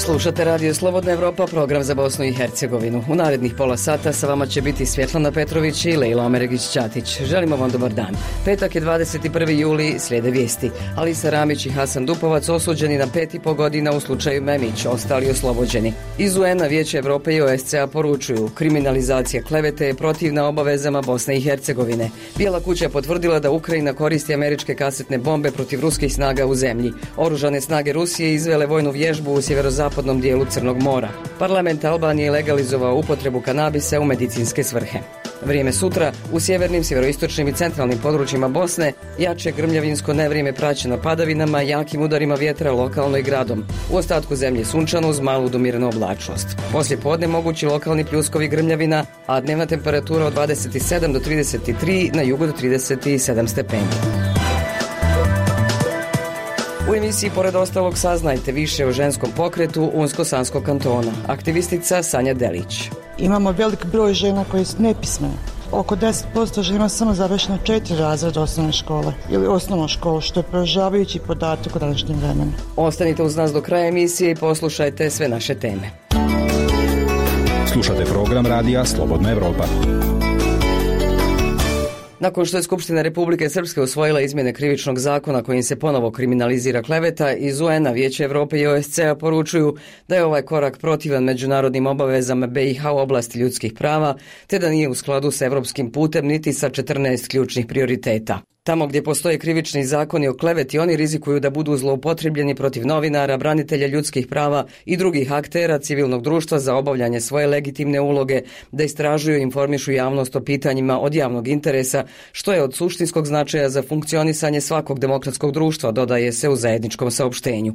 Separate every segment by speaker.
Speaker 1: Slušate Radio Slobodna Evropa, program za Bosnu i Hercegovinu. U narednih pola sata sa vama će biti Svjetlana Petrović i Lejla Omeregić-Ćatić. Želimo vam dobar dan. Petak je 21. juli, slijede vijesti. Alisa Ramić i Hasan Dupovac osuđeni na 5,5 godina u slučaju Memić, ostali oslobođeni. Iz UN-a, Vijeće Evrope i OSCE-a poručuju, kriminalizacija klevete je protivna obavezama Bosne i Hercegovine. Bijela kuća je potvrdila da Ukrajina koristi američke kasetne bombe protiv ruskih snaga u zemlji. Oružane snage Rusije izvele vojnu vježbu u sjeverozapadnom dijelu Crnog mora. Parlament Albanije je legalizovao upotrebu kanabisa u medicinske svrhe. Vrijeme sutra u sjevernim, sjeveroistočnim i centralnim područjima Bosne jače grmljavinsko nevrijeme praćeno padavinama, jakim udarima vjetra lokalno i gradom. U ostatku zemlje sunčano uz malu do mirnu oblačnost. Poslije podne mogući lokalni pljuskovi grmljavina, a dnevna temperatura od 27 do 33, na jugu do 37 stepeni. U emisiji pored ostalog saznajte više o ženskom pokretu Unsko-Sanskog kantona. Aktivistica Sanja Delić.
Speaker 2: Imamo velik broj žena koje su nepismene. Oko 10% žena samo završeno 4 razreda osnovne škole ili osnovnu školu, što je poražavajući podatak u današnjem vremenu.
Speaker 1: Ostanite uz nas do kraja emisije i poslušajte sve naše teme.
Speaker 3: Slušate program radija Slobodna Evropa.
Speaker 1: Nakon što je Skupština Republike Srpske usvojila izmjene krivičnog zakona kojim se ponovo kriminalizira kleveta, iz UN-a, Vijeće Evrope i OSCE-a poručuju da je ovaj korak protivan međunarodnim obavezama BiH u oblasti ljudskih prava, te da nije u skladu s evropskim putem niti sa 14 ključnih prioriteta. Tamo gdje postoje krivični zakoni o kleveti, oni rizikuju da budu zloupotrebljeni protiv novinara, branitelja ljudskih prava i drugih aktera civilnog društva za obavljanje svoje legitimne uloge, da istražuju i informišu javnost o pitanjima od javnog interesa, što je od suštinskog značaja za funkcionisanje svakog demokratskog društva, dodaje se u zajedničkom saopštenju.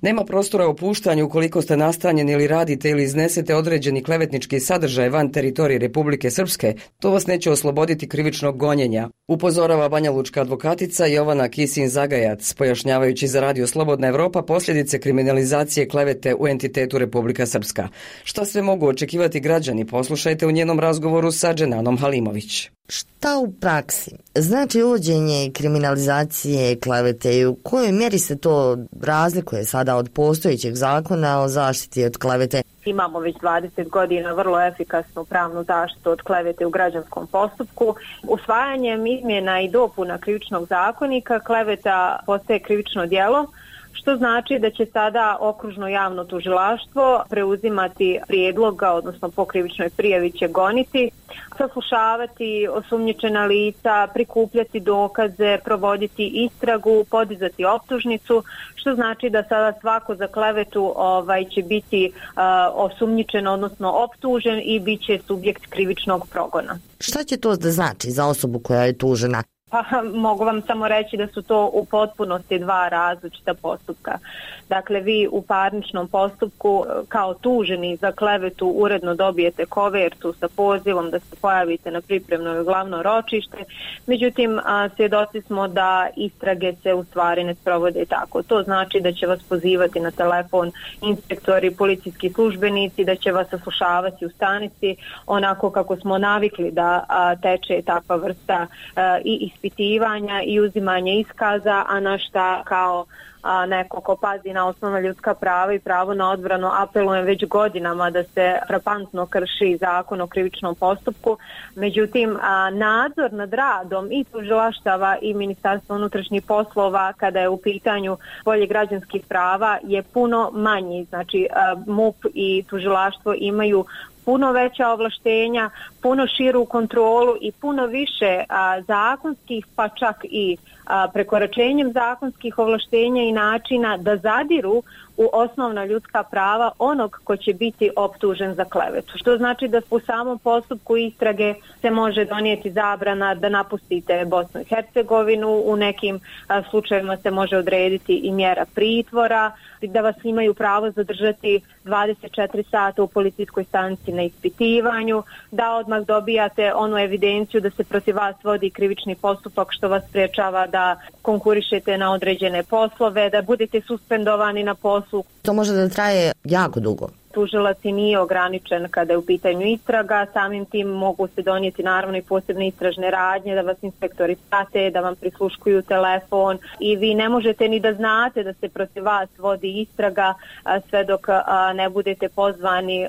Speaker 1: Nema prostora opuštanju ukoliko ste nastanjeni ili radite ili iznesete određeni klevetnički sadržaj van teritorije Republike Srpske, to vas neće osloboditi krivičnog gonjenja, upozorava banjalučka advokatica Jovana Kisin-Zagajac, pojašnjavajući za Radio Slobodna Evropa posljedice kriminalizacije klevete u entitetu Republika Srpska. Šta sve mogu očekivati građani, poslušajte u njenom razgovoru sa Dženanom Halimović.
Speaker 4: Šta u praksi znači uvođenje kriminalizacije klevete i u kojoj mjeri se to razlikuje sada od postojećeg zakona o zaštiti od klevete?
Speaker 5: Imamo već 20 godina vrlo efikasnu pravnu zaštitu od klevete u građanskom postupku. Usvajanjem izmjena i dopuna krivičnog zakonika kleveta postaje krivično djelo, što znači da će sada okružno javno tužilaštvo preuzimati prijedloga, odnosno po krivičnoj prijavi će goniti, saslušavati osumnjičena lica, prikupljati dokaze, provoditi istragu, podizati optužnicu, što znači da sada svako za klevetu će biti osumnjičen, odnosno optužen i bit će subjekt krivičnog progona.
Speaker 4: Šta će to da znači za osobu koja je tužena?
Speaker 5: Pa mogu vam samo reći da su to u potpunosti dva različita postupka. Dakle, vi u parničnom postupku kao tuženi za klevetu uredno dobijete kovertu sa pozivom da se pojavite na pripremno glavno ročište. Međutim, svjedoci smo da istrage se u stvari ne sprovode tako. To znači da će vas pozivati na telefon inspektori, policijski službenici, da će vas saslušavati u stanici onako kako smo navikli da teče takva vrsta i ispitivanja i uzimanje iskaza, a na šta kao neko ko pazi na osnovna ljudska prava i pravo na odbranu apelujem već godinama da se frapantno krši zakon o krivičnom postupku. Međutim, nadzor nad radom i tužilaštava i Ministarstva unutrašnjih poslova kada je u pitanju polje građanskih prava je puno manji. Znači, MUP i tužilaštvo imaju puno veća ovlaštenja, puno širu kontrolu i puno više zakonskih, pa čak i prekoračenjem zakonskih ovlaštenja i načina da zadiru u osnovna ljudska prava onog ko će biti optužen za klevetu. Što znači da u samom postupku istrage se može donijeti zabrana da napustite Bosnu i Hercegovinu, u nekim slučajevima se može odrediti i mjera pritvora, da vas imaju pravo zadržati 24 sata u policijskoj stanici na ispitivanju, da odmah dobijate onu evidenciju da se protiv vas vodi krivični postupak što vas sprečava da konkurišete na određene poslove, da budete suspendovani na poslu.
Speaker 4: To može da traje jako dugo.
Speaker 5: tužilac i nije ograničen kada je u pitanju istraga, samim tim mogu se donijeti naravno i posebne istražne radnje, da vas inspektori prate, da vam prisluškuju telefon i vi ne možete ni da znate da se protiv vas vodi istraga sve dok ne budete pozvani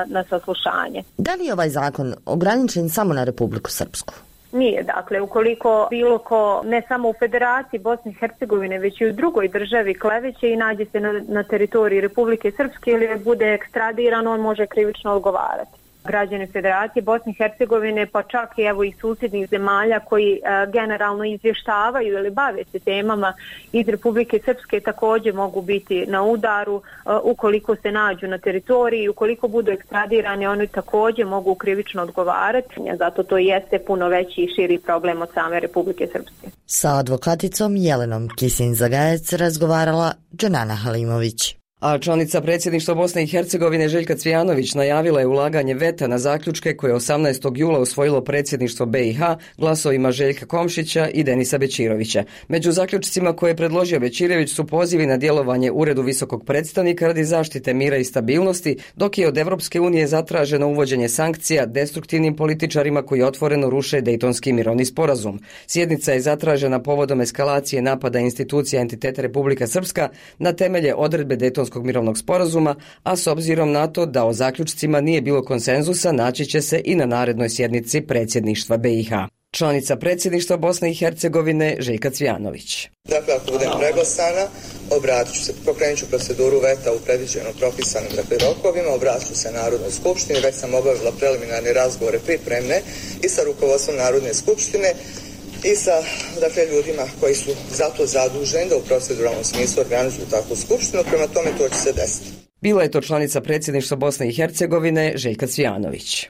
Speaker 5: na saslušanje.
Speaker 4: Da li je ovaj zakon ograničen samo na Republiku Srpsku?
Speaker 5: Nije, dakle, ukoliko bilo ko, ne samo u Federaciji Bosne i Hercegovine, već i u drugoj državi kleveće i nađe se na teritoriji Republike Srpske ili bude ekstradiran, on može krivično odgovarati. Građani Federacije Bosne i Hercegovine, pa čak i evo i susjednih zemalja koji generalno izvještavaju ili bave se temama iz Republike Srpske također mogu biti na udaru ukoliko se nađu na teritoriji, ukoliko budu ekstradirani oni također mogu krivično odgovarati, zato to jeste puno veći i širi problem od same Republike Srpske.
Speaker 4: Sa advokaticom Jelenom Kisin-Zagajec razgovarala Dženana Halimović.
Speaker 1: A članica predsjedništva Bosne i Hercegovine Željka Cvijanović najavila je ulaganje veta na zaključke koje 18. jula usvojilo predsjedništvo BiH glasovima Željka Komšića i Denisa Bećirovića. Među zaključcima koje je predložio Bećirović su pozivi na djelovanje Uredu visokog predstavnika radi zaštite mira i stabilnosti, dok je od Evropske unije zatraženo uvođenje sankcija destruktivnim političarima koji otvoreno ruše Dejtonski mirovni sporazum. Sjednica je zatražena povodom eskalacije napada institucija entiteta Republika Srpska na temelje odredbe Dejtonskog mirovnog sporazuma, a s obzirom na to da o zaključcima nije bilo konsenzusa, naći će se i na narednoj sjednici predsjedništva BiH. Članica predsjedništva Bosne i Hercegovine Željka Cvijanović.
Speaker 6: Dakle, ako budem preglasana, obratit ću se, pokrenut ću proceduru veta u predviđenom propisanim rokovima, obratit ću se Narodnoj skupštini, već sam obavila preliminarne razgovore pripremne i sa rukovodstvom Narodne skupštine i sa ljudima koji su za to zaduženi da u proceduralnom smislu organizuju takvu skupštinu, prema tome to će se desiti.
Speaker 1: Bila je to članica predsjedništva Bosne i Hercegovine Željka Cvijanović.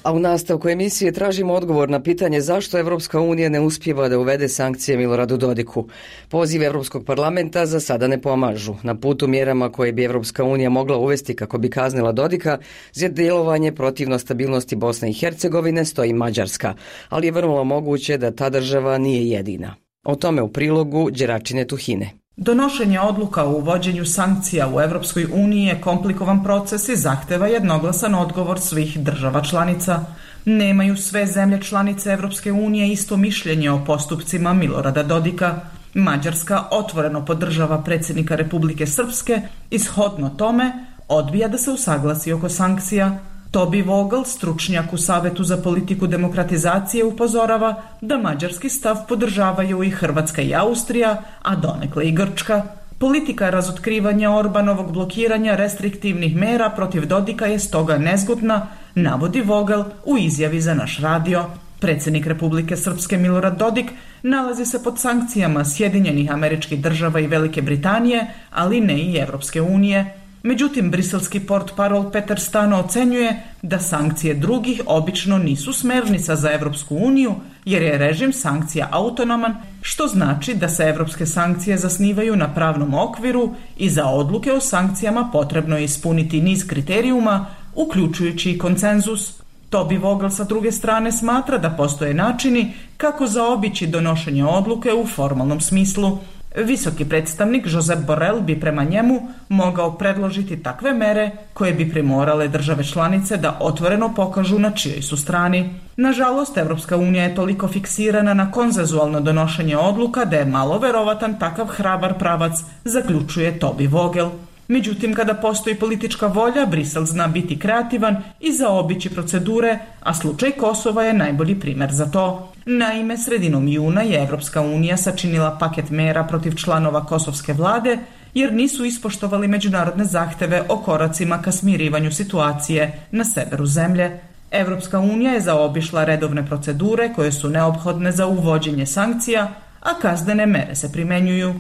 Speaker 1: A u nastavku emisije tražimo odgovor na pitanje zašto Evropska unija ne uspijeva da uvede sankcije Miloradu Dodiku. Poziv Europskog parlamenta za sada ne pomažu. Na putu mjerama koje bi Evropska unija mogla uvesti kako bi kaznila Dodika za djelovanje protivno stabilnosti Bosne i Hercegovine stoji Mađarska, ali je vrlo moguće da ta država nije jedina. O tome u prilogu Đeračine Tuhine.
Speaker 7: Donošenje odluka o uvođenju sankcija u Evropskoj uniji je komplikovan proces i zahteva jednoglasan odgovor svih država članica. Nemaju sve zemlje članice Evropske unije isto mišljenje o postupcima Milorada Dodika. Mađarska otvoreno podržava predsjednika Republike Srpske i shodno tome odbija da se usaglasi oko sankcija. Tobi Vogel, stručnjak u Savetu za politiku demokratizacije, upozorava da mađarski stav podržavaju i Hrvatska i Austrija, a donekle i Grčka. Politika razotkrivanja Orbanovog blokiranja restriktivnih mera protiv Dodika je stoga nezgodna, navodi Vogel u izjavi za naš radio. Predsjednik Republike Srpske Milorad Dodik nalazi se pod sankcijama Sjedinjenih Američkih Država i Velike Britanije, ali ne i Evropske unije. Međutim, briselski portparol Petar Stano ocenjuje da sankcije drugih obično nisu smernica za Evropsku uniju, jer je režim sankcija autonoman, što znači da se evropske sankcije zasnivaju na pravnom okviru i za odluke o sankcijama potrebno je ispuniti niz kriterijuma, uključujući i konsenzus. Tobi Vogel sa druge strane smatra da postoje načini kako zaobići donošenje odluke u formalnom smislu. Visoki predstavnik Josep Borrell bi prema njemu mogao predložiti takve mere koje bi primorale države članice da otvoreno pokažu na čijoj su strani. Nažalost, Evropska unija je toliko fiksirana na konsenzualno donošenje odluka da je malo verovatan takav hrabar pravac, zaključuje Tobi Vogel. Međutim, kada postoji politička volja, Brisel zna biti kreativan i zaobići procedure, a slučaj Kosova je najbolji primjer za to. Naime, sredinom juna je Evropska unija sačinila paket mera protiv članova kosovske vlade, jer nisu ispoštovali međunarodne zahteve o koracima ka smirivanju situacije na severu zemlje. Evropska unija je zaobišla redovne procedure koje su neophodne za uvođenje sankcija, a kaznene mere se primjenjuju.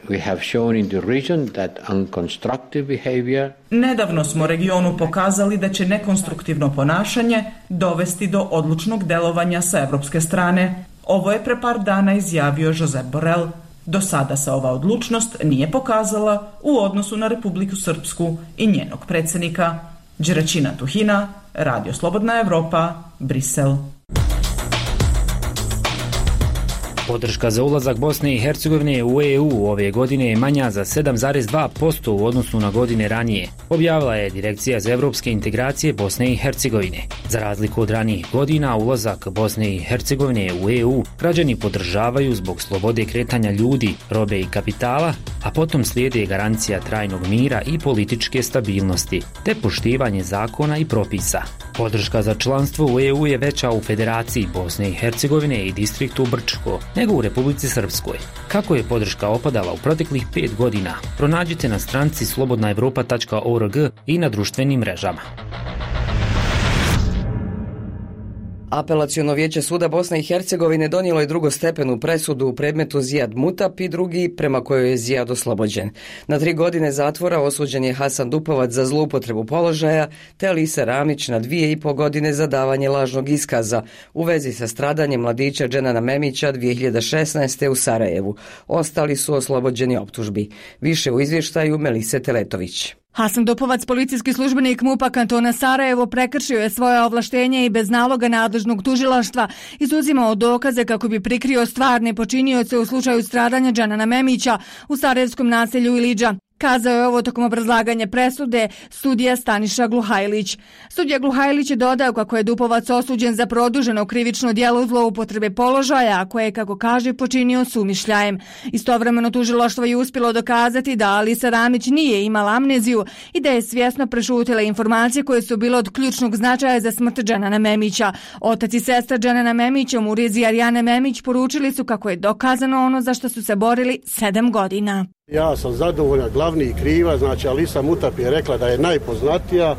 Speaker 8: We have shown in the region that unconstructive behavior.
Speaker 7: Nedavno smo regionu pokazali da će nekonstruktivno ponašanje dovesti do odlučnog delovanja sa evropske strane. Ovo je pre par dana izjavio Josep Borrell. Do sada se ova odlučnost nije pokazala u odnosu na Republiku Srpsku i njenog predsjednika. Đeračina Tuhina, Radio Slobodna Evropa, Brisel.
Speaker 9: Podrška za ulazak Bosne i Hercegovine u EU ove godine je manja za 7,2% u odnosu na godine ranije, objavila je Direkcija za evropske integracije Bosne i Hercegovine. Za razliku od ranijih godina, ulazak Bosne i Hercegovine u EU građani podržavaju zbog slobode kretanja ljudi, robe i kapitala, a potom slijede garancija trajnog mira i političke stabilnosti, te poštivanje zakona i propisa. Podrška za članstvo u EU je veća u Federaciji Bosne i Hercegovine i distriktu Brčko nego u Republici Srpskoj. Kako je podrška opadala u proteklih 5 godina, pronađite na stranici slobodnaevropa.org i na društvenim mrežama.
Speaker 1: Apelaciono vijeće suda Bosne i Hercegovine donijelo je drugostepenu presudu u predmetu Zijad Mutap i drugi prema kojoj je Zijad oslobođen. Na 3 godine zatvora osuđen je Hasan Dupovac za zloupotrebu položaja te Alisa Ramić na 2,5 godine za davanje lažnog iskaza u vezi sa stradanjem mladića Dženana Memića 2016. u Sarajevu. Ostali su oslobođeni optužbi. Više u izvještaju Melise Teletović.
Speaker 10: Hasan Dupovac, policijski službenik MUP-a kantona Sarajevo, prekršio je svoje ovlaštenje i bez naloga nadležnog tužilaštva izuzimao dokaze kako bi prikrio stvarne počinioce u slučaju stradanja Dženana Memića u sarajevskom naselju Ilidža. Kazao je ovo tokom obrazlaganja presude sudija Staniša Gluhajlić. Sudija Gluhajlić je dodao kako je Dupovac osuđen za produženo krivično djelo zloupotrebe položaja, a koje, kako kaže, počinio s umišljajem. Istovremeno tužilaštvo je uspjelo dokazati da Alisa Ramić nije imala amneziju i da je svjesno prešutila informacije koje su bile od ključnog značaja za smrt Dženana Memića. Otac i sestra Dženana Memića, Muriz i Arijana Memić, poručili su kako je dokazano ono za što su se borili 7 godina.
Speaker 11: Ja sam zadovoljan, glavni kriva, znači Alisa Mutap je rekla da je najpoznatija.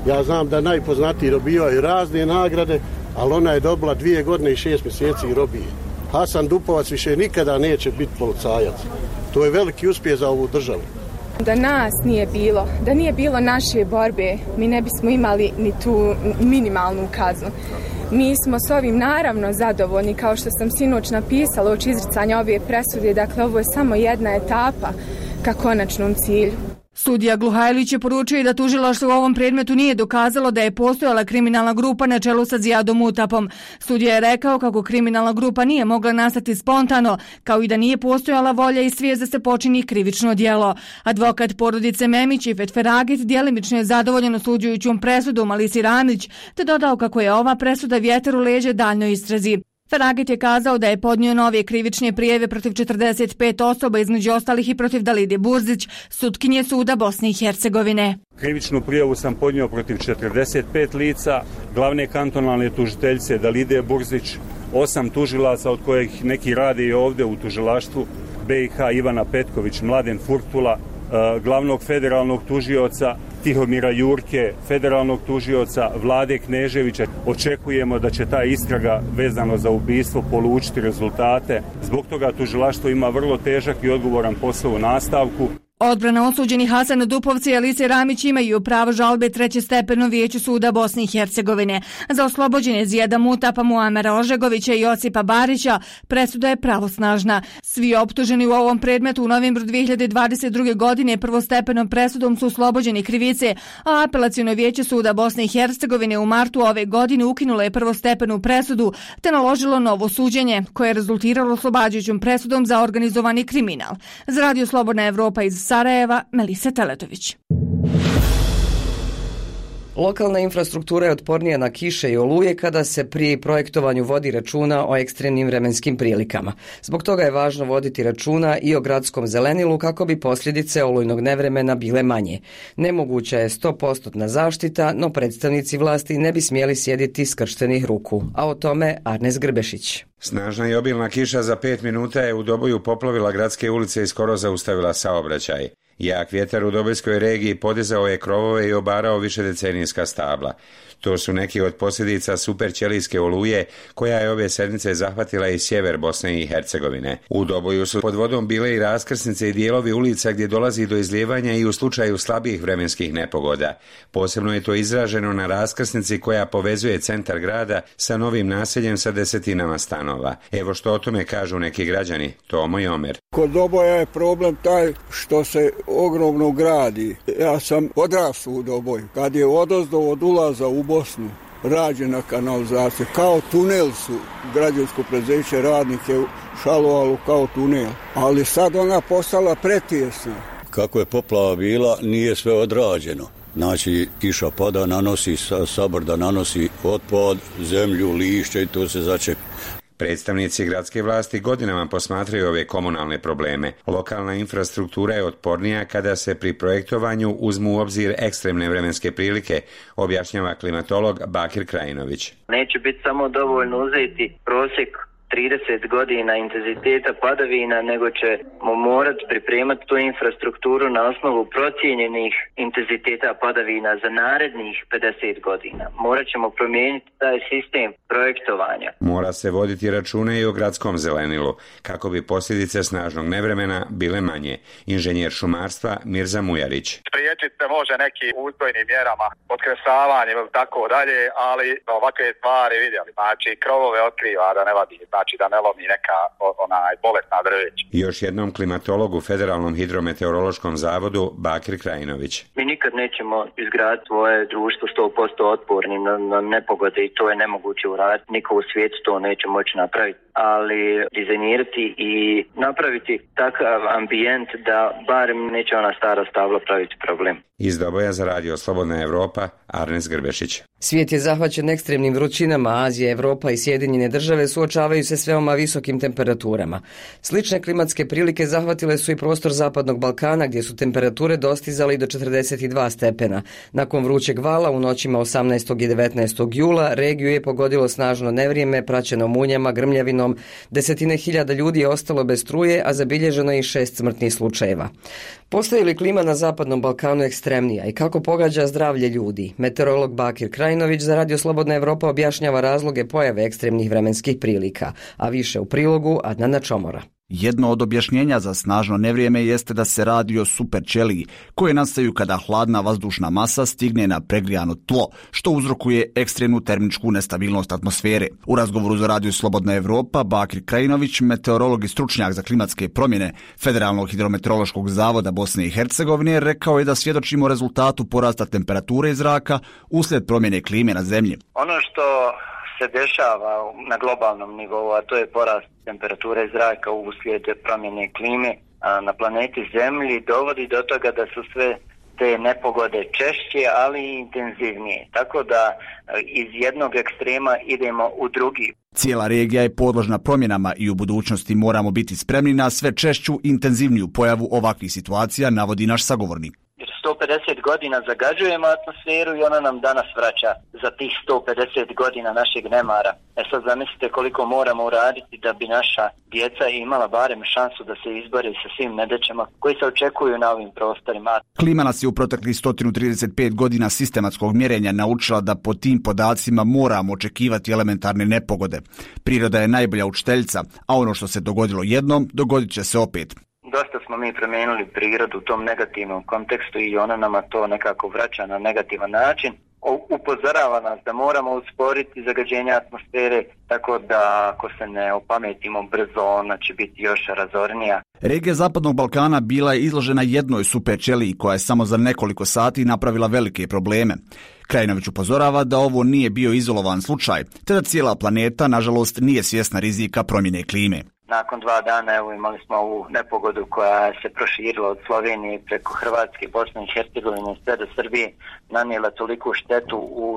Speaker 11: Ja znam da najpoznatiji dobivaju razne nagrade, ali ona je dobila 2 godine i 6 mjeseci robije. Hasan Dupovac više nikada neće biti policajac. To je veliki uspjeh za ovu državu.
Speaker 12: Da nas nije bilo, da nije bilo naše borbe, mi ne bismo imali ni tu minimalnu kaznu. Mi smo s ovim naravno zadovoljni, kao što sam sinoć napisala uoči izricanja ove presude, dakle ovo je samo jedna etapa ka konačnom cilju.
Speaker 10: Sudija Gluhajlić je poručio da tužilaštvo u ovom predmetu nije dokazalo da je postojala kriminalna grupa na čelu sa Zijadom Mutapom. Sudija je rekao kako kriminalna grupa nije mogla nastati spontano, kao i da nije postojala volja i svijest da se počini krivično djelo. Advokat porodice Memić i Fetferagit djelimično je zadovoljen osuđujućom presudom Alisi Ramić, te dodao kako je ova presuda vjetar u leđe daljnjoj istrazi. Feragit je kazao da je podnio nove krivične prijave protiv 45 osoba, između ostalih i protiv Dalide Burzić, sutkinje suda Bosne i Hercegovine.
Speaker 13: Krivičnu prijavu sam podnio protiv 45 lica, glavne kantonalne tužiteljice Dalide Burzić, 8 tužilaca od kojih neki rade i ovdje u tužilaštvu, BiH Ivana Petković, Mladen Furtula, glavnog federalnog tužioca Tihomira Jurke, federalnog tužioca Vlade Kneževića. Očekujemo da će ta istraga vezano za ubistvo polučiti rezultate. Zbog toga tužilaštvo ima vrlo težak i odgovoran posao u nastavku.
Speaker 10: Odbrana osuđenih Hasana Dupovca i Alise Ramić imaju pravo žalbe trećestepenom vijeću suda Bosne i Hercegovine. Za oslobođenje Zijada Mutapa, Muamera Ožegovića i Josipa Barića presuda je pravosnažna. Svi optuženi u ovom predmetu u novembru 2022. godine prvostepenom presudom su oslobođeni krivice, a apelaciono vijeće suda Bosne i Hercegovine u martu ove godine ukinulo je prvostepenu presudu te naložilo novo suđenje, koje je rezultiralo oslobađajućom presudom za organizovani kriminal. Za Radio Slobodna Evropa iz Sarajeva, Melisa Teletović.
Speaker 1: Lokalna infrastruktura je otpornija na kiše i oluje kada se pri projektovanju vodi računa o ekstremnim vremenskim prilikama. Zbog toga je važno voditi računa i o gradskom zelenilu kako bi posljedice olujnog nevremena bile manje. Nemoguća je 100% zaštita, no predstavnici vlasti ne bi smjeli sjediti skrštenih ruku. A o tome Arnes Grbešić.
Speaker 14: Snažna i obilna kiša za 5 minuta je u Doboju poplavila gradske ulice i skoro zaustavila saobraćaj. Jak vjetar u Dobojskoj regiji podizao je krovove i obarao višedecenijska stabla. To su neki od posljedica superćelijske oluje koja je ove sedmice zahvatila i sjever Bosne i Hercegovine. U Doboju su pod vodom bile i raskrsnice i dijelovi ulica gdje dolazi do izlijevanja i u slučaju slabih vremenskih nepogoda. Posebno je to izraženo na raskrsnici koja povezuje centar grada sa novim naseljem sa desetinama stanova. Evo što o tome kažu neki građani. Tomo i Omer.
Speaker 15: Kod Doboja je problem taj što se ogromno gradi. Ja sam odrastao u Doboju. Kad je odozdo od ulaza u Bosnu rađena kanalizacija, kao tunel su građansko preduzeće radnike šalovalo kao tunel, ali sad ona postala pretjesna.
Speaker 16: Kako je poplava bila, nije sve odrađeno. Znači, kiša pada, nanosi sabrda, nanosi otpad, zemlju, lišće i to se začepi.
Speaker 14: Predstavnici gradske vlasti godinama posmatraju ove komunalne probleme. Lokalna infrastruktura je otpornija kada se pri projektovanju uzmu u obzir ekstremne vremenske prilike, objašnjava klimatolog Bakir Krajinović.
Speaker 17: Neće biti samo dovoljno uzeti prosjek 30 godina intenziteta padavina, nego ćemo morati pripremati tu infrastrukturu na osnovu procijenjenih intenziteta padavina za narednih 50 godina. Morat ćemo promijeniti taj sistem projektovanja.
Speaker 14: Mora se voditi računa i o gradskom zelenilu, kako bi posljedice snažnog nevremena bile manje. Inženjer šumarstva Mirza Mujarić.
Speaker 18: Spriječiti se može neki uzgojnim mjerama, potkresavanjem ili tako dalje, ali ovakve stvari vidjeli. Znači, krovove otkriva da ne vadi, znači da ne lomi neka bolesna drveća.
Speaker 14: Još jednom klimatologu Federalnom hidrometeorološkom zavodu Bakir Krajinović.
Speaker 17: Mi nikad nećemo izgraditi svoje društvo 100% otpornim na nepogode i to je nemoguće uraditi. Niko u svijetu to neće moći napraviti, ali dizajnirati i napraviti takav ambijent da barem neće ona stara stabla praviti problem.
Speaker 14: Iz Doboja za radio Slobodna Evropa, Arnes Grbešić.
Speaker 1: Svijet je zahvaćen ekstremnim vrućinama, Azija, Evropa i Sjedinjene države suočavaju se s veoma visokim temperaturama. Slične klimatske prilike zahvatile su i prostor Zapadnog Balkana, gdje su temperature dostizale i do 42 stepena. Nakon vrućeg vala u noćima 18. i 19. jula regiju je pogodilo snažno nevrijeme, praćeno munjama, grmljavinom, desetine hiljada ljudi je ostalo bez struje, a zabilježeno je i 6 smrtnih slučajeva. Postaje li klima na Zapadnom Balkanu ekstremnija i kako pogađa zdravlje ljudi? Meteorolog Bakir Krajinović za radio Slobodna Evropa objašnjava razloge pojave ekstremnih vremenskih prilika, a više u prilogu Adnana Čomora.
Speaker 19: Jedno od objašnjenja za snažno nevrijeme jeste da se radi o superćeliji, koje nastaju kada hladna vazdušna masa stigne na pregrijano tlo, što uzrokuje ekstremnu termičku nestabilnost atmosfere. U razgovoru za radio Slobodna Evropa, Bakir Krajinović, meteorolog i stručnjak za klimatske promjene Federalnog hidrometeorološkog zavoda Bosne i Hercegovine, rekao je da svjedočimo rezultatu porasta temperature zraka uslijed promjene klime na zemlji.
Speaker 17: Ono što se dešava na globalnom nivou, a to je porast temperature zraka uslijed promjene klime na planeti Zemlji, dovodi do toga da su sve te nepogode češće, ali i intenzivnije. Tako da iz jednog ekstrema idemo u drugi.
Speaker 19: Cijela regija je podložna promjenama i u budućnosti moramo biti spremni na sve češću i intenzivniju pojavu ovakvih situacija, navodi naš sagovornik.
Speaker 17: 150 godina zagađujemo atmosferu i ona nam danas vraća za tih 150 godina našeg nemara. Sad zamislite koliko moramo uraditi da bi naša djeca imala barem šansu da se izbore sa svim nedaćama koji se očekuju na ovim prostorima.
Speaker 19: Klima nas je u proteklih 135 godina sistematskog mjerenja naučila da po tim podacima moramo očekivati elementarne nepogode. Priroda je najbolja učiteljica, a ono što se dogodilo jednom, dogodit će se opet.
Speaker 17: Dosta smo mi promijenili prirodu u tom negativnom kontekstu i ona nama to nekako vraća na negativan način. Upozorava nas da moramo usporiti zagađenje atmosfere, tako da ako se ne opametimo brzo, ona će biti još razornija.
Speaker 19: Regija Zapadnog Balkana bila je izložena jednoj superćeliji koja je samo za nekoliko sati napravila velike probleme. Krajinović upozorava da ovo nije bio izolovan slučaj, te da cijela planeta, nažalost, nije svjesna rizika promjene klime.
Speaker 17: Nakon 2 dana imali smo ovu nepogodu koja se proširila od Slovenije preko Hrvatske, Bosne i Hercegovine sve do Srbije, nanijela toliku štetu u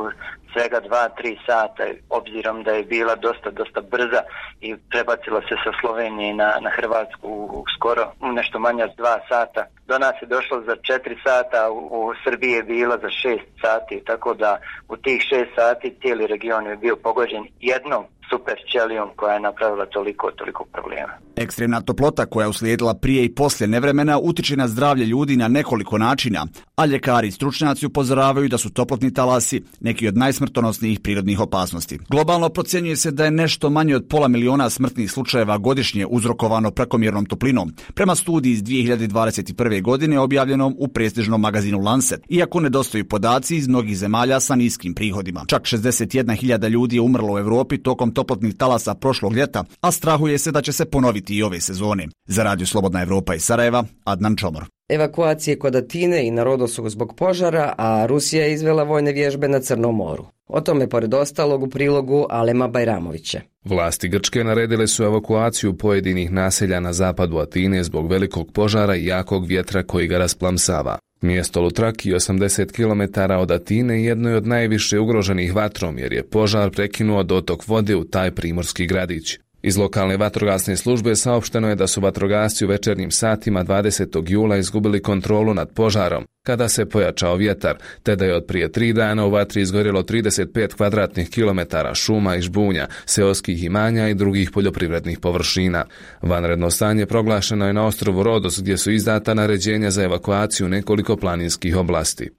Speaker 17: svega 2-3 sata, obzirom da je bila dosta brza i prebacila se sa Slovenije na Hrvatsku skoro nešto manje od 2 sata. Do nas je došlo za 4 sata, u Srbiji je bila za 6 sati, tako da u tih 6 sati cijeli region je bio pogođen jednom superćelijom koja je napravila toliko problema.
Speaker 19: Ekstremna toplota koja je uslijedila prije i poslije nevremena utiče na zdravlje ljudi na nekoliko načina, a ljekari i stručnjaci upozoravaju da su toplotni talasi neki od najsmrtonosnijih prirodnih opasnosti. Globalno procjenjuje se da je nešto manje od 500.000 smrtnih slučajeva godišnje uzrokovano prekomjernom toplinom, prema studiji iz 2021. godine objavljenom u prestižnom magazinu Lancet, iako nedostaju podaci iz mnogih zemalja sa niskim prihodima. Čak 61.000 ljudi je umrlo u Europi tokom toplotnih talasa prošlog ljeta, a strahuje se da će se ponoviti i ove sezone. Za Radio Slobodna Evropa iz Sarajeva, Adnan Čomor.
Speaker 1: Evakuacije kod Atine i na Rodosu zbog požara, a Rusija je izvela vojne vježbe na Crnom moru. O tome, pored ostalog, u prilogu Alema Bajramovića.
Speaker 20: Vlasti Grčke naredile su evakuaciju pojedinih naselja na zapadu Atine zbog velikog požara i jakog vjetra koji ga rasplamsava. Mjesto Lutraki, 80 km od Atine, jedno je od najviše ugroženih vatrom jer je požar prekinuo dotok vode u taj primorski gradić. Iz lokalne vatrogasne službe saopšteno je da su vatrogasci u večernjim satima 20. jula izgubili kontrolu nad požarom kada se pojačao vjetar, te da je od prije 3 dana u vatri izgorjelo 35 kvadratnih kilometara šuma i žbunja, seoskih imanja i drugih poljoprivrednih površina. Vanredno stanje proglašeno je na ostrvu Rodos gdje su izdata naređenja za evakuaciju nekoliko planinskih oblasti.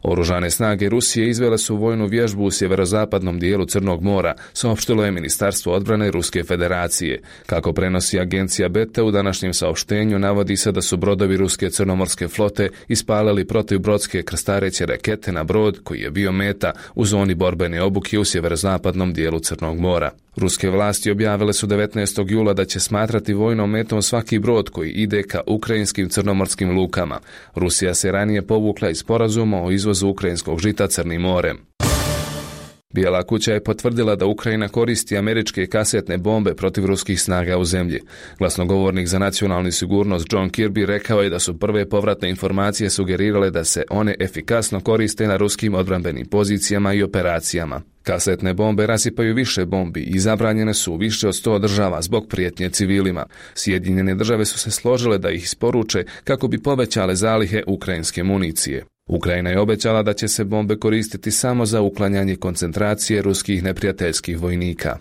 Speaker 20: Oružane snage Rusije izvele su vojnu vježbu u sjeverozapadnom dijelu Crnog mora, saopštilo je Ministarstvo odbrane Ruske federacije. Kako prenosi agencija BT, u današnjem saopštenju navodi se da su brodovi Ruske crnomorske flote ispalili protivbrodske krstareće rakete na brod koji je bio meta u zoni borbene obuke u sjeverozapadnom dijelu Crnog mora. Ruske vlasti objavile su 19. jula da će smatrati vojnom metom svaki brod koji ide ka ukrajinskim crnomorskim lukama. Rusija se ranije povukla iz sporazuma o izvozu ukrajinskog žita Crnim morem. Bijela kuća je potvrdila da Ukrajina koristi američke kasetne bombe protiv ruskih snaga u zemlji. Glasnogovornik za nacionalnu sigurnost John Kirby rekao je da su prve povratne informacije sugerirale da se one efikasno koriste na ruskim odbrambenim pozicijama i operacijama. Kasetne bombe rasipaju više bombi i zabranjene su u više od 100 država zbog prijetnje civilima. Sjedinjene države su se složile da ih isporuče kako bi povećale zalihe ukrajinske municije. Ukrajina je obećala da će se bombe koristiti samo za uklanjanje koncentracije ruskih neprijateljskih vojnika.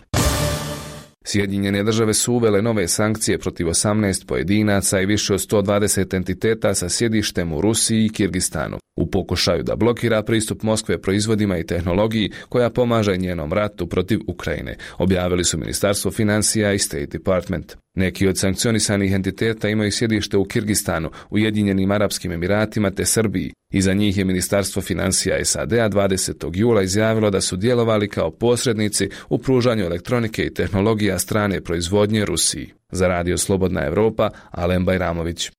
Speaker 20: Sjedinjene države su uvele nove sankcije protiv 18 pojedinaca i više od 120 entiteta sa sjedištem u Rusiji i Kirgistanu, u pokušaju da blokira pristup Moskve proizvodima i tehnologiji koja pomaže njenom ratu protiv Ukrajine, objavili su Ministarstvo financija i State Department. Neki od sankcionisanih entiteta imaju sjedište u Kirgistanu, Ujedinjenim Arapskim Emiratima te Srbiji. Iza njih je Ministarstvo financija SAD-a 20. jula izjavilo da su djelovali kao posrednici u pružanju elektronike i tehnologija strane proizvodnje Rusiji. Za Radio Slobodna Evropa, Alen Bajramović.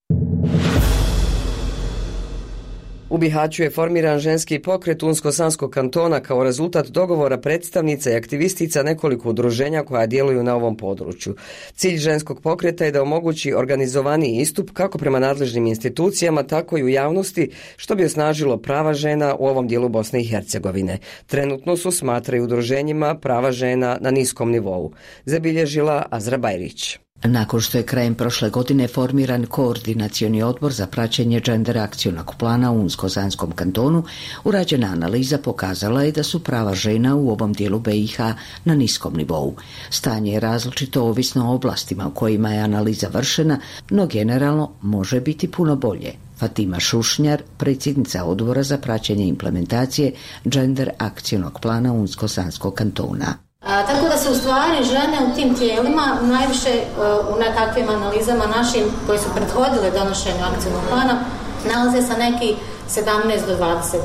Speaker 1: U Bihaću je formiran ženski pokret Unsko-Sanskog kantona kao rezultat dogovora predstavnica i aktivistica nekoliko udruženja koja djeluju na ovom području. Cilj ženskog pokreta je da omogući organizovaniji istup kako prema nadležnim institucijama, tako i u javnosti, što bi osnažilo prava žena u ovom dijelu Bosne i Hercegovine. Trenutno su, smatraju udruženjima, prava žena na niskom nivou, zabilježila Azra Bajrić.
Speaker 21: Nakon što je krajem prošle godine formiran koordinacioni odbor za praćenje gender akcionog plana u Unsko-Sanskom kantonu, urađena analiza pokazala je da su prava žena u ovom dijelu BiH na niskom nivou. Stanje je različito ovisno o oblastima u kojima je analiza vršena, no generalno može biti puno bolje. Fatima Šušnjar, predsjednica odbora za praćenje implementacije gender akcionog plana Unsko-Sanskog kantona.
Speaker 22: Tako da se u stvari žene u tim tijelima najviše u nekakvim analizama našim koji su prethodile donošenju akcijnog plana nalaze sa neki 17 do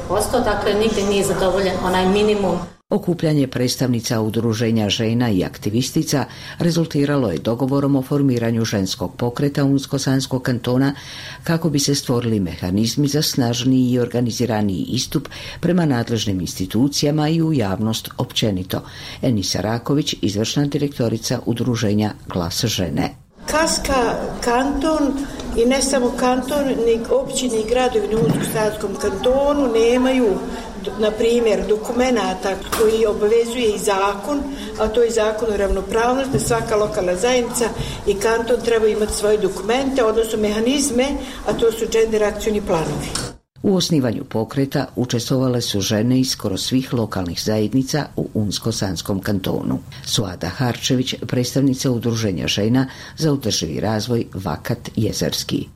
Speaker 22: 20%, dakle nigdje nije zadovoljen onaj minimum.
Speaker 21: Okupljanje predstavnica udruženja žena i aktivistica rezultiralo je dogovorom o formiranju ženskog pokreta Unsko-Sanskog kantona kako bi se stvorili mehanizmi za snažniji i organiziraniji istup prema nadležnim institucijama i u javnost općenito. Enisa Raković, izvršna direktorica udruženja Glas žene.
Speaker 23: Kaska kanton i ne samo kanton, ni općine i gradovi u Unsko-Sanskom kantonu nemaju, na primjer, dokumenata koji obavezuje i zakon, a to je zakon o ravnopravnosti, da svaka lokalna zajednica i kanton treba imati svoje dokumente, odnosno mehanizme, a to su gender akcioni planovi.
Speaker 21: U osnivanju pokreta učestvovale su žene iz skoro svih lokalnih zajednica u Unsko-Sanskom kantonu. Suada Harčević, predstavnica udruženja žena za održivi razvoj Vakat Jezerski.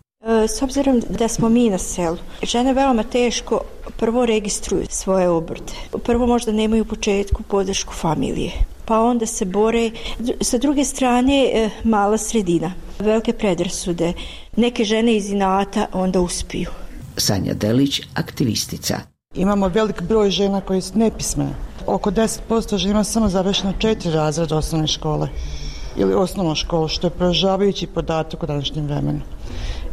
Speaker 24: S obzirom da smo mi na selu, žene veoma teško prvo registruju svoje obrte. Prvo možda nemaju u početku podršku familije, pa onda se bore. Sa druge strane, mala sredina, velike predrasude. Neke žene iz inata onda uspiju.
Speaker 21: Sanja Delić, aktivistica.
Speaker 2: Imamo velik broj žena koje su nepismene. oko 10% žena samo završeno 4 razreda osnovne škole ili osnovna škola, što je poražavajući podatak u današnjem vremenu.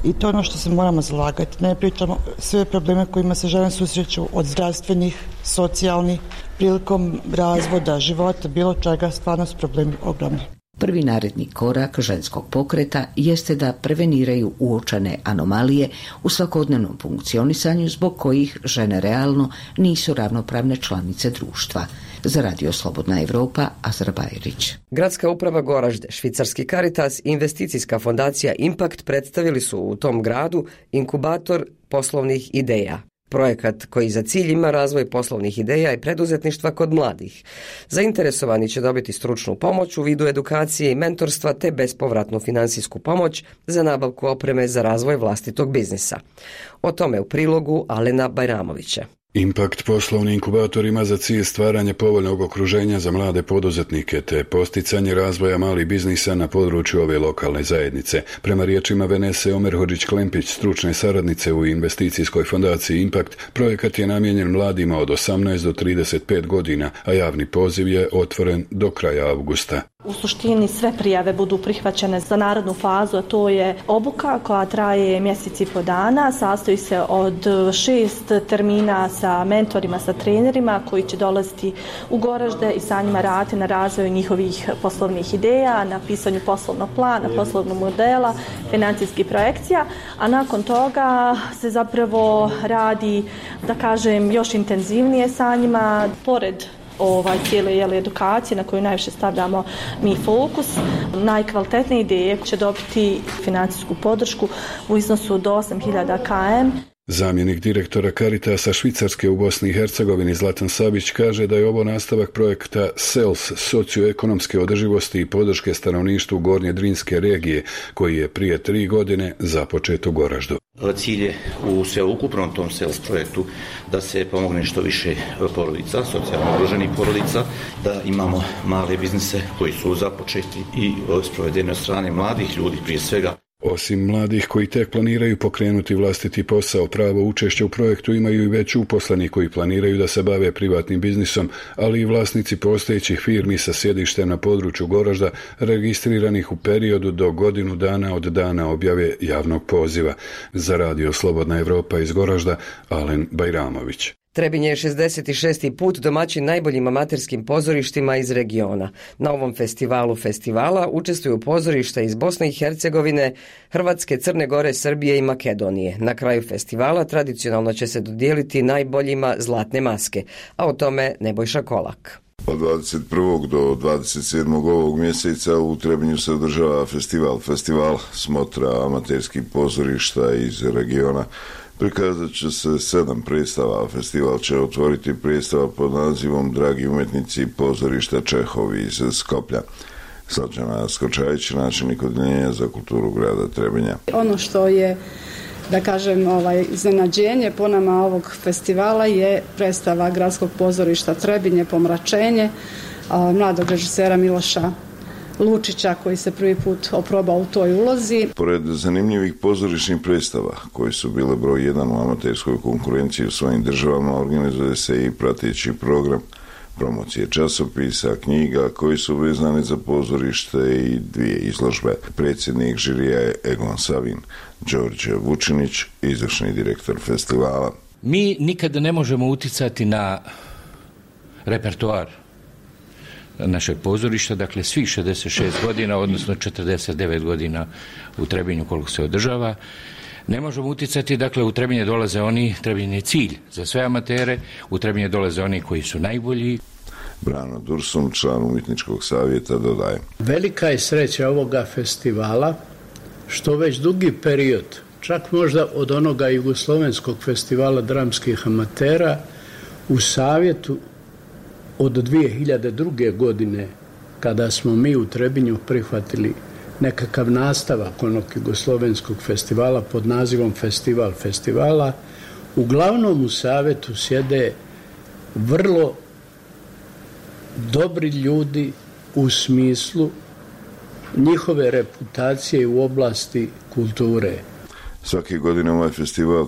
Speaker 2: I to je ono što se moramo zalagati. Ne pričamo sve probleme kojima se žene susreću, od zdravstvenih, socijalnih, prilikom razvoda, života, bilo čega, stvarno su problemi ogromni.
Speaker 21: Prvi naredni korak ženskog pokreta jeste da preveniraju uočene anomalije u svakodnevnom funkcionisanju zbog kojih žene realno nisu ravnopravne članice društva. Za Radio Slobodna Evropa, Azra Bajrić.
Speaker 1: Gradska uprava Goražde, švicarski Caritas i investicijska fondacija Impact predstavili su u tom gradu inkubator poslovnih ideja. Projekat koji za cilj ima razvoj poslovnih ideja i preduzetništva kod mladih. Zainteresovani će dobiti stručnu pomoć u vidu edukacije i mentorstva te bespovratnu finansijsku pomoć za nabavku opreme za razvoj vlastitog biznisa. O tome u prilogu Alena Bajramovića.
Speaker 3: Impact poslovni inkubator ima za cilj stvaranje povoljnog okruženja za mlade poduzetnike te posticanje razvoja malih biznisa na području ove lokalne zajednice. Prema riječima Venese Omerhodžić-Klempić, stručne saradnice u investicijskoj fondaciji Impact, projekat je namijenjen mladima od 18 do 35 godina, a javni poziv je otvoren do kraja avgusta.
Speaker 4: U suštini sve prijave budu prihvaćene za narednu fazu, a to je obuka koja traje mjesec i po dana, sastoji se od 6 termina sa mentorima, sa trenerima koji će dolaziti u Goražde i sa njima raditi na razvoju njihovih poslovnih ideja, na pisanju poslovnog plana, poslovnog modela, financijskih projekcija, a nakon toga se zapravo radi, da kažem, još intenzivnije sa njima, pored cijele edukacije na koju najviše stavljamo mi fokus. Najkvalitetnije ideje će dobiti financijsku podršku u iznosu do 8.000 km.
Speaker 3: Zamjenik direktora Caritasa Švicarske u Bosni i Hercegovini Zlatan Sabić kaže da je ovo nastavak projekta SELS socioekonomske održivosti i podrške stanovništvu Gornje Drinske regije koji je prije 3 godine započet u Goraždu.
Speaker 5: Cilj je u sveukupnom tom SELS projektu da se pomogne što više porodica, socijalno ugroženih porodica, da imamo male biznise koji su započeti i sprovedeni od strane mladih ljudi prije svega.
Speaker 3: Osim mladih koji tek planiraju pokrenuti vlastiti posao, pravo učešća u projektu imaju i već uposleni koji planiraju da se bave privatnim biznisom, ali i vlasnici postojećih firmi sa sjedištem na području Goražda registriranih u periodu do godinu dana od dana objave javnog poziva. Za Radio Slobodna Evropa iz Goražda, Alen Bajramović.
Speaker 1: Trebinje je 66. put domaćin najboljim amaterskim pozorištima iz regiona. Na ovom festivalu festivala učestvuju pozorišta iz Bosne i Hercegovine, Hrvatske, Crne Gore, Srbije i Makedonije. Na kraju festivala tradicionalno će se dodijeliti najboljima zlatne maske, a o tome Nebojša Kolak.
Speaker 6: Od 21. do 27. ovog mjeseca u Trebinju se održava festival smotra amaterskih pozorišta iz regiona. Prikazat će se 7 predstava. Festival će otvoriti predstava pod nazivom Dragi umjetnici pozorišta Čehovi iz Skoplja. Slađana Skočajić, načelnik odjeljenja za kulturu grada Trebinja.
Speaker 25: Ono što je, da kažem, iznenađenje po nama ovog festivala je predstava Gradskog pozorišta Trebinje Pomračenje mladog režisera Miloša Lučića koji se prvi put oprobao u toj ulozi.
Speaker 6: Pored zanimljivih pozorišnih predstava koji su bile broj 1 u amaterskoj konkurenciji u svojim državama, organizuje se i prateći program promocije časopisa, knjiga koji su vezani za pozorište i 2 izložbe. Predsjednik žirija je Egon Savin, Đorđe Vučinić, izvršni direktor festivala.
Speaker 26: Mi nikada ne možemo uticati na repertoar našeg pozorišta, dakle svih 66 godina, odnosno 49 godina u Trebinju koliko se održava. Ne možemo uticati, dakle u Trebinje dolaze oni, Trebinje je cilj za sve amatere, u Trebinje dolaze oni koji su najbolji.
Speaker 6: Brano Dursum, član umjetničkog savjeta, dodaje.
Speaker 27: Velika je sreća ovoga festivala što već dugi period, čak možda od onoga Jugoslovenskog festivala dramskih amatera, u savjetu od 2002. godine, kada smo mi u Trebinju prihvatili nekakav nastavak onog Jugoslovenskog festivala pod nazivom Festival festivala, uglavnom u savjetu sjede vrlo dobri ljudi u smislu njihove reputacije u oblasti kulture.
Speaker 6: Svake godine ovaj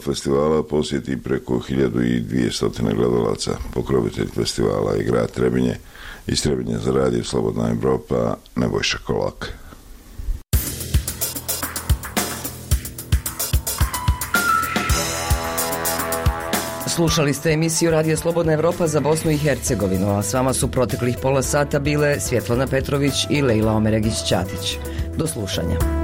Speaker 6: festivala posjeti preko 1200 gledalaca. Pokrovitelj festivala je grad Trebinje. Iz Trebinje za radio Slobodna Evropa, Nebojša Kolak.
Speaker 1: Slušali ste emisiju Radija Slobodna Evropa za Bosnu i Hercegovinu, a s vama su proteklih pola sata bile Svjetlana Petrović i Lejla Omeregić-Ćatić. Do slušanja.